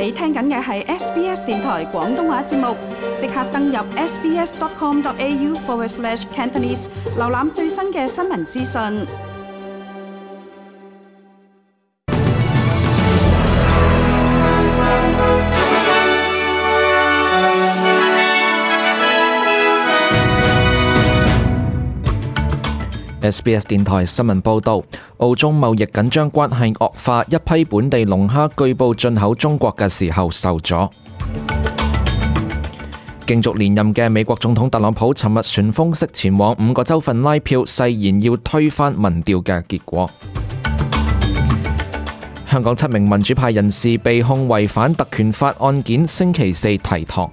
你聽緊嘅係 SBS 電台廣東話節目，即刻登入 sbs.com.au/Cantonese 瀏覽最新嘅新聞資訊。SBS 電台新聞報導，澳中貿易緊張關係惡化，一批本地龍蝦據報進口中國嘅時候受阻。競逐連任嘅美國總統特朗普尋日旋風式前往5個州份拉票，誓言要推翻民調嘅結果。香港7名民主派人士被控違反特權法案件，星期四提堂。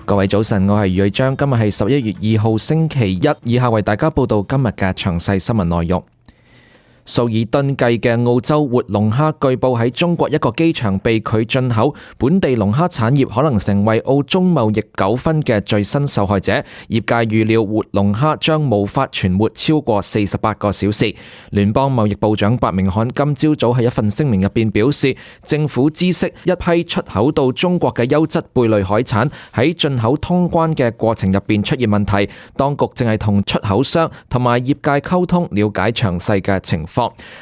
各位早晨，我係余瑞章，今日係11月2號星期一，以下為大家報道今日嘅詳細新聞內容。數以噸計嘅澳洲活龍蝦據報喺中國一個機場被拒進口，本地龍蝦產業可能成為澳中貿易糾紛嘅最新受害者。業界預料活龍蝦將無法存活超過48個小時。聯邦貿易部長白明漢今朝早喺一份聲明入邊表示，政府知悉一批出口到中國嘅優質貝類海產喺進口通關嘅過程入邊出現問題，當局正係同出口商同埋業界溝通，了解詳細嘅情況。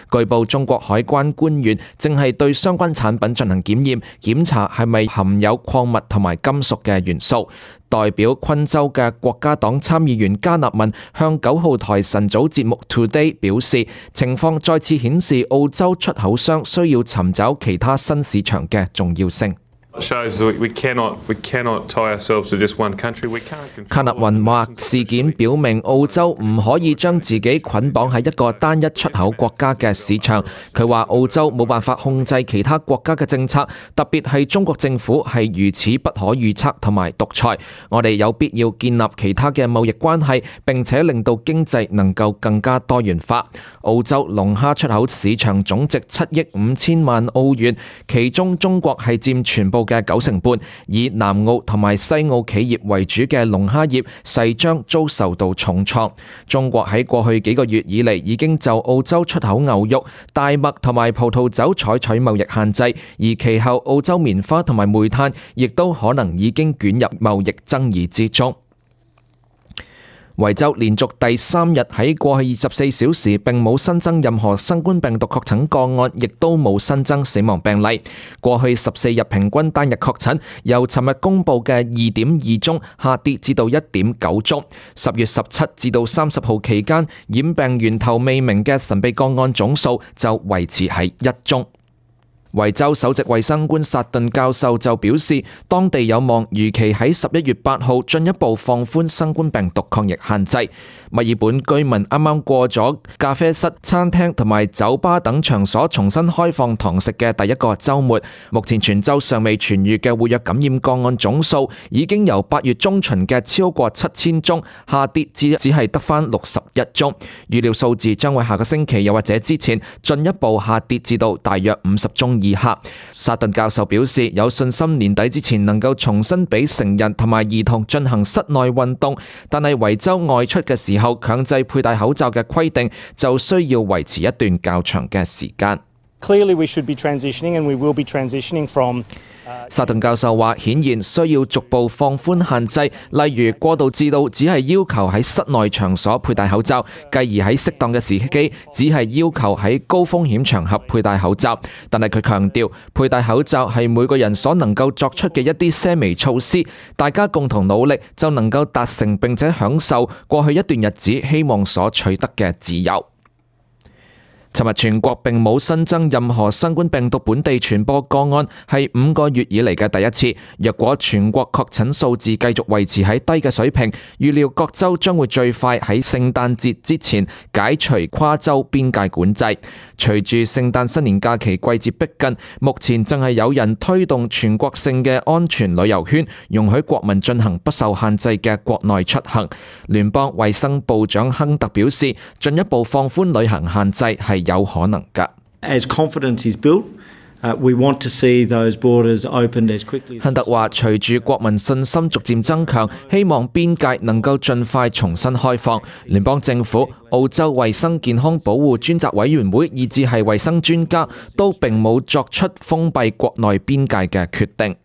據報中國海關官員正係對相關產品進行檢驗，檢查係咪含有礦物同埋金屬嘅元素。代表昆州嘅國家黨參議員加納文向9號台晨早節目 Today 表示，情況再次顯示澳洲出口商需要尋找其他新市場嘅重要性。卡納雲話：事件表明澳洲唔可以將自己捆綁喺一個單一出口國家嘅市場。佢話澳洲冇辦法控制其他國家嘅政策，特別係中國政府係如此不可預測同埋獨裁。我哋有必要建立其他嘅貿易關係，並且令到經濟能夠更加多元化。澳洲龍蝦出口市場總值7億5千萬澳元，其中中國係佔全部嘅90%，以南澳同埋西澳企業為主嘅龍蝦業勢將遭受到重創。中國喺過去幾個月以嚟已經就澳洲出口牛肉、大麥同埋葡萄酒採取貿易限制，而其後澳洲棉花同埋煤炭亦都可能已經捲入貿易爭議之中。維州連續第3日喺過去24小時並冇新增任何新冠病毒確診個案，亦都冇新增死亡病例。過去14日平均單日確診由尋日公佈嘅2.2宗下跌至到1.9宗。10月17至到30號期間染病源頭未明嘅神秘個案總數就維持喺1宗。維州首席衛生官薩頓教授就表示，當地有望如期喺11月8號進一步放寬新冠病毒抗疫限制。墨爾本居民啱啱過咗咖啡室、餐廳同埋酒吧等場所重新開放堂食嘅第一個週末，目前全州尚未痊癒嘅活躍感染個案總數已經由8月中旬嘅超過7000宗下跌至只係得返61宗。預料數字將會下個星期又或者之前進一步下跌至到大約50宗以下。薩頓教授表示，有信心年底之前能夠重新俾成人同埋兒童進行室內運動，但係維州外出嘅時候強制佩戴口罩嘅規定就需要維持一段較長嘅時間。Clearly we should be transitioning and we will be transitioning from薩頓教授話，顯然需要逐步放寬限制，例如過渡至到只係要求喺室內場所佩戴口罩，繼而喺適當嘅時機只係要求喺高風險場合佩戴口罩。但係佢強調，佩戴口罩係每個人所能夠作出嘅一啲些微措施，大家共同努力就能夠達成並且享受過去一段日子希望所取得嘅自由。尋日全國並冇新增任何新冠病毒本地傳播個案，係5個月以嚟嘅第一次。若果全國確診數字繼續維持喺低嘅水平，預料各州將會最快喺聖誕節之前解除跨州邊界管制。隨住聖誕新年假期季節逼近，目前正係有人推動全國性嘅安全旅遊圈，容許國民進行不受限制嘅國內出行。聯邦衛生部長亨特表示，進一步放寬旅行限制係有可能㗎。As confidence is built, We want to see those borders opened as quickly as 亨特話：隨住國民信心逐漸增強，希望邊界能夠盡快重新開放。聯邦政府、澳洲衛生健康保護專責委員會以至係衛生專家都並冇作出封閉國內邊界嘅決定。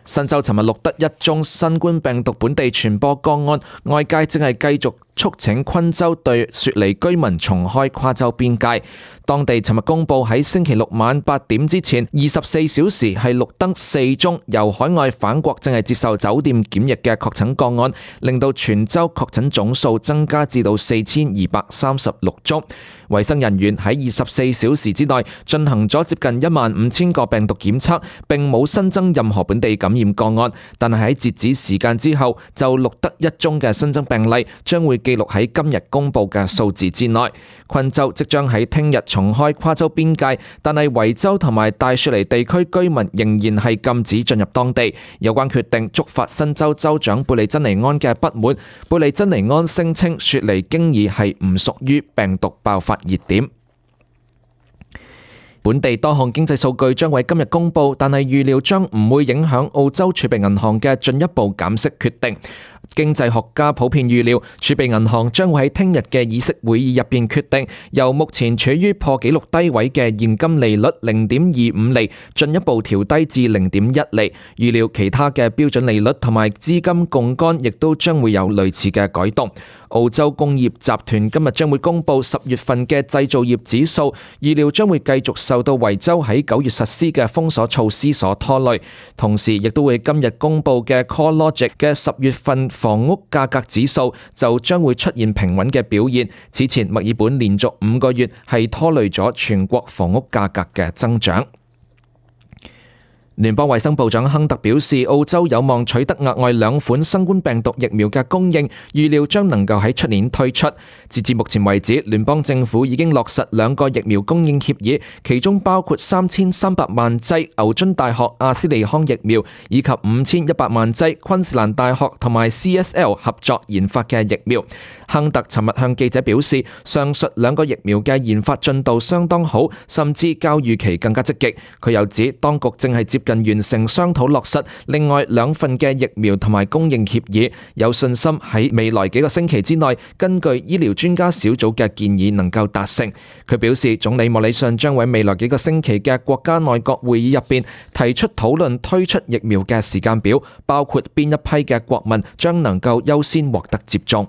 新州尋日錄得1宗新冠病毒本地傳播個案，外界正係繼續促請昆州對雪梨居民重開跨州邊界。當地尋日公佈喺星期六晚8點之前24小時係錄得4宗由海外返國正係接受酒店檢疫嘅確診個案，令到全州確診總數增加至到4236宗。衛生人員喺24小時之內進行咗接近15000個病毒檢測，並冇新增任何本地感染個案，但係喺截止時間之後就錄得1宗嘅新增病例，將會記錄喺今日公佈嘅數字之內。昆州即將喺聽日重開跨州邊界，但係維州同埋大雪梨地區居民仍然係禁止進入當地。有關決定觸發新州州長貝利珍尼安嘅不滿。貝利珍尼安聲稱雪梨經已係唔屬於病毒爆發熱點。本地多項經濟數據將會今日公佈，但係預料將唔會影響澳洲儲備銀行嘅進一步減息決定。經濟學家普遍預料，儲備銀行將會喺聽日嘅議息會議入邊決定，由目前處於破紀錄低位嘅現金利率0.25厘進一步調低至0.1厘。預料其他嘅標準利率同埋資金槓桿亦都將會有類似嘅改動。澳洲工業集團今日將會公佈10月份嘅製造業指數，預料將會繼續受到維州喺9月實施嘅封鎖措施所拖累，同時亦都會今日公佈嘅 CoreLogic 嘅10月份房屋價格指數就將會出現平穩嘅表現。此前墨爾本連續5個月係拖累咗全國房屋價格嘅增長。聯邦衛生部長亨特表示，澳洲有望取得額外2款新冠病毒疫苗嘅供應，預料將能夠喺出年推出。截至目前為止，聯邦政府已經落實2個疫苗供應協議，其中包括3300萬劑牛津大學阿斯利康疫苗，以及5100萬劑昆士蘭大學同埋 CSL 合作研發嘅疫苗。亨特尋日向記者表示，上述2個疫苗嘅研發進度相當好，甚至較預期更加積極。佢又指，當局正係接近完成商討落實另外2份嘅疫苗同埋供應協議，有信心喺未來幾個星期之內，根據醫療專家小組嘅建議能夠達成。佢表示，總理莫里遜將喺未來幾個星期嘅國家內閣會議入邊提出討論推出疫苗嘅時間表，包括邊一批嘅國民將能夠優先獲得接種。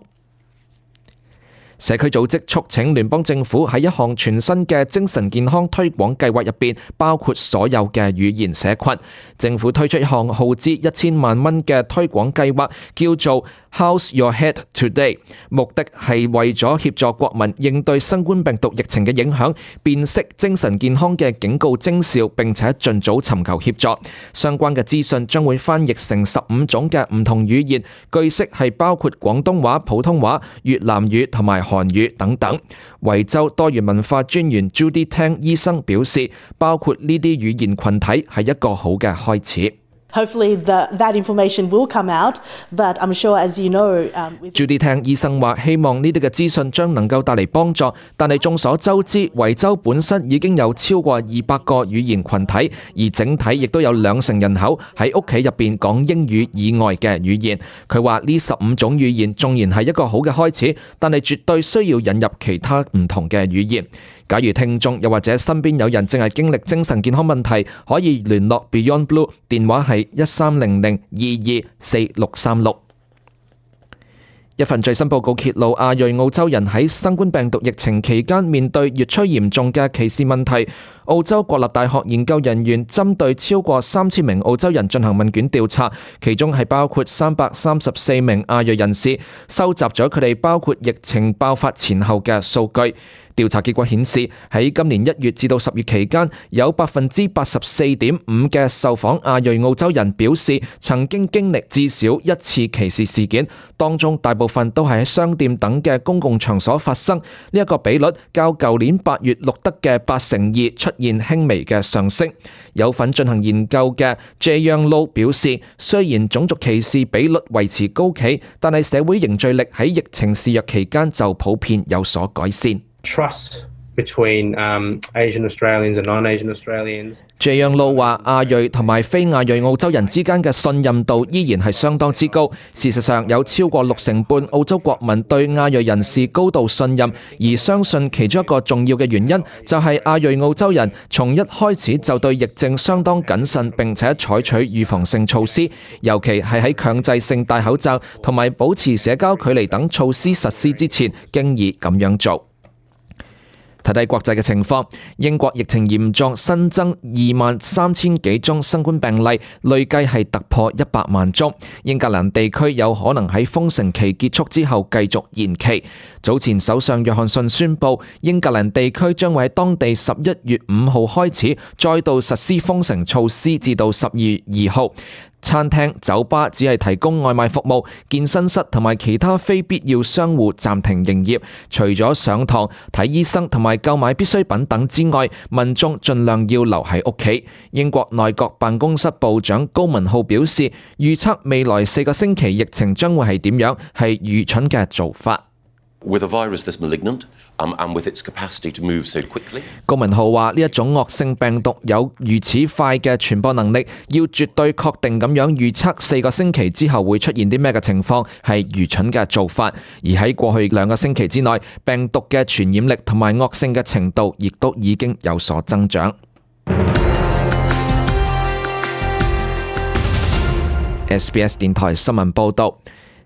社區組織促請聯邦政府喺一項全新嘅精神健康推廣計劃入邊，包括所有嘅語言社群。政府推出一項耗資1000萬蚊嘅推廣計劃，叫做 How's Your Head Today， 目的係為咗協助國民應對新冠病毒疫情嘅影響，辨識精神健康嘅警告徵兆，並且盡早尋求協助。相關嘅資訊將會翻譯成15種嘅唔同語言，據悉係包括廣東話、普通話、越南語同埋韓語等等。維州多元文化專員 Judy Tang 醫生表示，包括呢啲語言群體係一個好嘅開始。Hopefully that information will come out, but I'm sure, as you know, Judy Tang 醫生話，希望呢啲嘅資訊將能夠帶嚟幫助，但係眾所周知，維州本身已經有超過200個語言群體，而整體亦都有20%人口喺屋企入邊講英語以外嘅語言。佢話呢15種語言縱然係一個好嘅開始，但係絕對需要引入其他唔同嘅語言。假如聽眾又或者身邊有人正係經歷精神健康問題，可以聯絡 Beyond Blue， 電話係1300224636。一份最新報告揭露，亞裔澳洲人喺新冠病毒疫情期間面對越趨嚴重嘅歧視問題。澳洲國立大學研究人員針對超過3000名澳洲人進行問卷調查，其中係包括334名亞裔人士，收集咗佢哋包括疫情爆發前後嘅數據。調查結果顯示，喺今年1月至到10月期間，有84.5% 嘅受訪亞裔澳洲人表示曾經經歷至少1次歧視事件，當中大部分都係喺商店等嘅公共場所發生。呢一個比率較舊年8月錄得嘅82%出現輕微嘅上升。有份進行研究嘅 J. Young Low 表示，雖然種族歧視比率維持高企，但係社會凝聚力喺疫情肆虐期間就普遍有所改善。Trust between Asian Australians and non-Asian Australians. 謝讓路話：亞裔同埋非亞裔澳洲人之間嘅信任度依然係相當之高。事實上，有超過60%澳洲國民對亞裔人士高度信任，而相信其中一個重要嘅原因就係亞裔澳洲人從一開始就對疫症相當謹慎，並且採取預防性措施，尤其係喺強制性戴口罩同埋保持社交距離等措施實施之前，經已咁樣做。睇睇國際嘅情況，英國疫情嚴重，新增23,000幾宗新冠病例，累計係突破100萬宗。英格蘭地區有可能喺封城期結束之後繼續延期。早前首相約翰遜宣布，英格蘭地區將會喺當地11月5號開始再度實施封城措施，至到12月2號。餐廳、酒吧只係提供外賣服務，健身室同埋其他非必要商戶暫停營業。除咗上堂、睇醫生同埋購買必需品等之外，民眾盡量要留喺屋企。英國內閣辦公室部長高文浩表示，預測未來4個星期疫情將會係點樣，係愚蠢嘅做法。With a virus this malignant, and with its capacity to move so quickly. 高文浩話：呢一種惡性病毒有如此快嘅傳播能力，要絕對確定咁樣預測4個星期之後會出現啲咩嘅情況，係愚蠢嘅做法。而喺過去2個星期之內，病毒嘅傳染力同埋惡性嘅程度，亦都已經有所增長。SBS 電台新聞報導。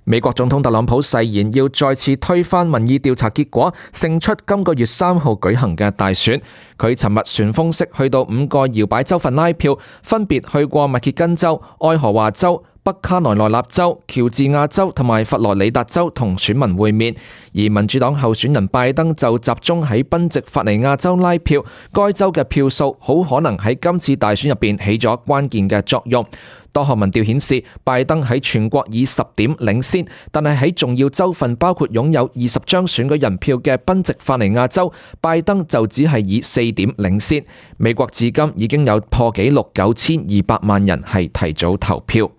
美國總統特朗普誓言要再次推翻民意調查結果，勝出今個月3號舉行嘅大選。佢尋日旋風式去到5個搖擺州份拉票，分別去過密歇根州、愛荷華州、北卡羅來納州、喬治亞州同埋佛羅里達州同選民會面。而民主黨候選人拜登就集中喺賓夕法尼亞州拉票，該州嘅票數好可能喺今次大選入邊起咗關鍵嘅作用。多項民調顯示，拜登喺全國以10點領先，但係喺重要州份，包括擁有20張選舉人票嘅賓夕法尼亞州，拜登就只係以4點領先。美國至今已經有破紀錄9200萬人係提早投票。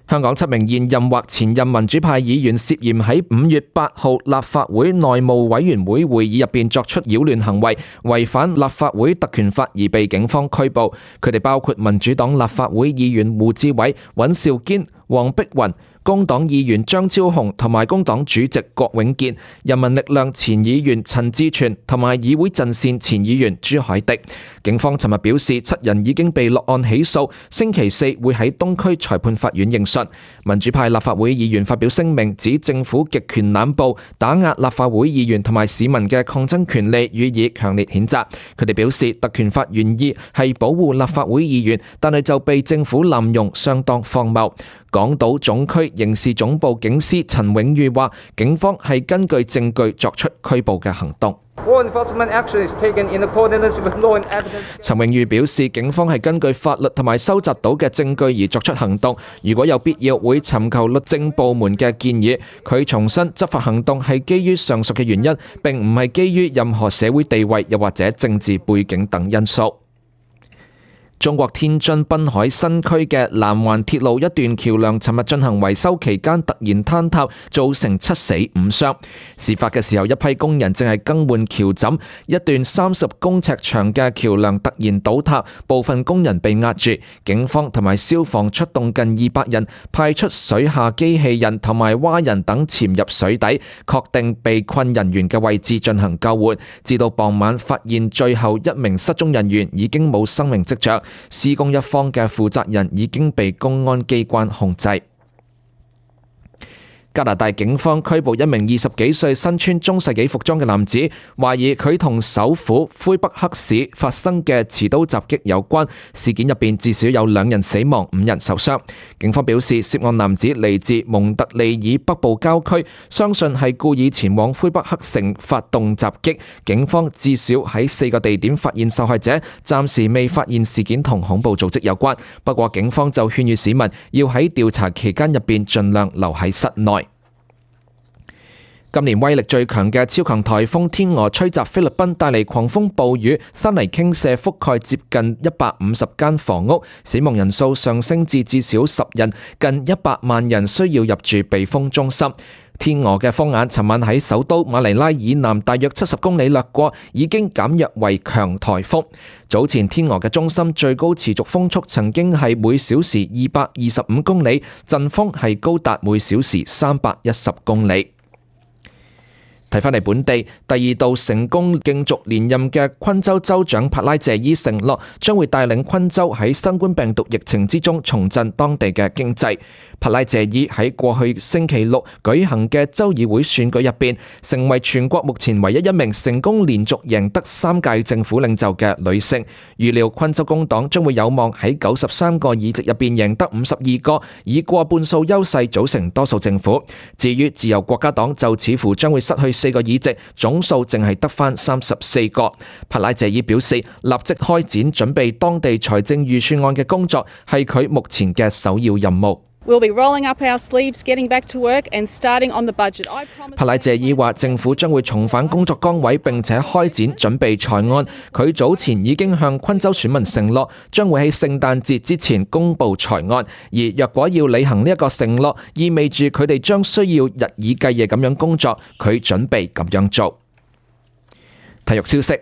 香港7名現任或前任民主派議員涉嫌喺5月8號立法會內務委員會會議入邊作出擾亂行為，違反立法會特權法而被警方拘捕。佢哋包括民主黨立法會議員胡志偉、尹兆堅、黃碧雲、工黨議員張超雄同埋工黨主席郭永健，人民力量前議員陳志全同埋議會陣線前議員朱凱迪。警方尋日表示，7人已經被落案起訴，星期4會喺東區裁判法院應訊。民主派立法會議員發表聲明，指政府極權濫捕、打壓立法會議員同埋市民嘅抗爭權利，予以強烈譴責。佢哋表示，特權法原意係保護立法會議員，但係就被政府濫用，相當荒謬。港島總區刑事總部警司陳永裕話，警方係根據證據作出拘捕嘅行動。陳永裕表示，警方係根據法律同埋收集到嘅證據而作出行動，如果有必要會尋求律政部門嘅建議。佢重申，執法行動係基於上述嘅原因，並唔係基於任何社會地位又或者政治背景等因素。中國天津濱海新區嘅南環鐵路一段橋梁尋日進行維修期間突然坍塌，造成7死5傷。事發嘅時候，一批工人正係更換橋枕，一段30公尺長嘅橋梁突然倒塌，部分工人被壓住。警方同埋消防出動近200人，派出水下機器人同埋蛙人等潛入水底，確定被困人員嘅位置進行救援。至到傍晚發現最後1名失蹤人員已經冇生命跡象。施工一方嘅負責人已經被公安機關控制。加拿大警方拘捕一名20幾歲身穿中世紀服裝嘅男子，懷疑佢同首府魁北克市發生嘅持刀襲擊有關。事件入邊至少有2人死亡，5人受傷。警方表示，涉案男子嚟自蒙特利爾北部郊區，相信係故意前往魁北克城發動襲擊。警方至少喺4個地點發現受害者，暫時未發現事件同恐怖組織有關。不過警方就勸喻市民要喺調查期間入邊盡量留喺室內。今年威力最強嘅超強颱風天鵝吹襲菲律賓，帶嚟狂風暴雨，山泥傾瀉覆蓋接近150間房屋，死亡人數上升至少10人，近100萬人需要入住避風中心。天鵝嘅風眼尋晚喺首都馬尼拉以南大約70公里掠過，已經減弱為強颱風。早前天鵝嘅中心最高持續風速曾經係每小時225公里，陣風係高達每小時310公里。睇返嚟本地，第二度成功競逐連任嘅昆州州長帕拉謝伊承諾將會帶領昆州喺新冠病毒疫情之中重振當地嘅經濟。帕拉謝伊喺過去星期六舉行嘅州議會選舉入邊，成為全國目前唯一一名成功連續贏得3屆政府領袖嘅女性。預料昆州工黨將會有望喺93個議席入邊贏得52個，以過半數優勢組成多數政府。至於自由國家黨就似乎將會失去4個議席，總數淨係得返34個。帕拉謝伊表示，立即開展準備當地財政預算案嘅工作係佢目前嘅首要任務。We'll be rolling up our sleeves, getting back to work and starting on the budget. 帕拉謝伊話政府將會重返工作崗位並且開展準備財案。佢早前已經向昆州選民承諾，將會喺聖誕節之前公布財案。而若果要履行呢一個承諾，意味住佢哋將需要日以繼夜咁樣工作。佢準備咁樣做。體育消息。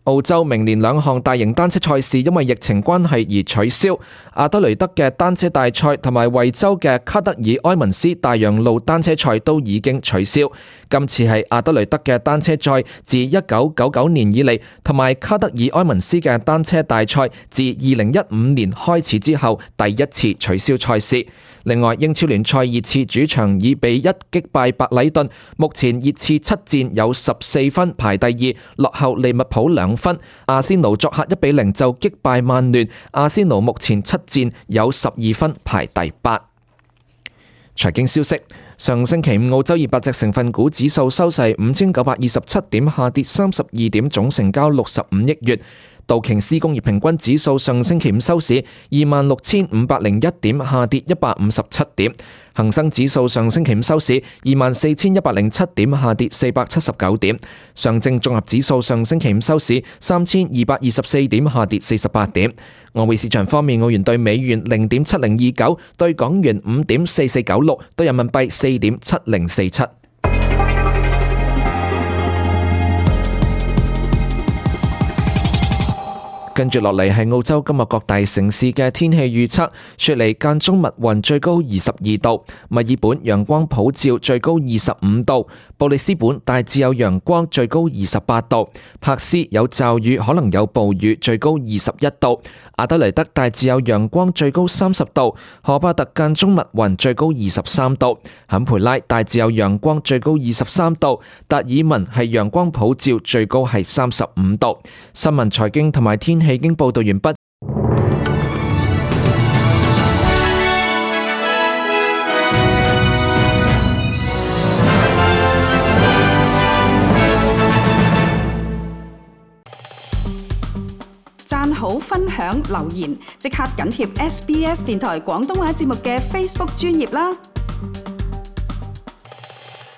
澳洲明年2項大型單車賽事因為疫情關係而取消，阿德雷德嘅單車大賽同埋維州嘅卡德爾埃文斯大洋路單車賽都已經取消。今次係阿德雷德嘅單車賽自1999年以嚟，同埋卡德爾埃文斯嘅單車大賽自2015年開始之後第一次取消賽事。另外，英超聯賽熱刺主場以2-1擊敗白禮頓，目前熱刺7戰有14分排第2，落後利物浦2分。阿仙奴作客1-0就擊敗曼聯，阿仙奴目前7戰有12分排第8。財經消息。上星期五澳洲200隻成分股指數收市5927點，下跌32點，總成交65億元。道瓊斯工業平均指數上星期五收市26,501點，下跌157點。恒生指數上星期五收市24,107點，下跌479點。上證綜合指數上星期五收市3,224點，下跌48點。外匯市場方面，澳元對美元0.7029，對港元5.4496，對人民幣4.7047。跟住落嚟係澳洲今日各大城市嘅天氣預測。雪梨間中密雲，最高22度；墨爾本陽光普照，最高25度；布里斯本大致有陽光，最高28度；柏斯有驟雨，可能有暴雨，最高21度；阿德雷德大致有陽光，最高30度；荷巴特間中密雲，最高23度；坎培拉大致有陽光，最高23度；達爾文係陽光普照，最高係35度。新聞財經同埋天氣已經報道完畢。讚好、分享、留言，即刻緊貼SBS 電台廣東話節目嘅 Facebook 專頁啦！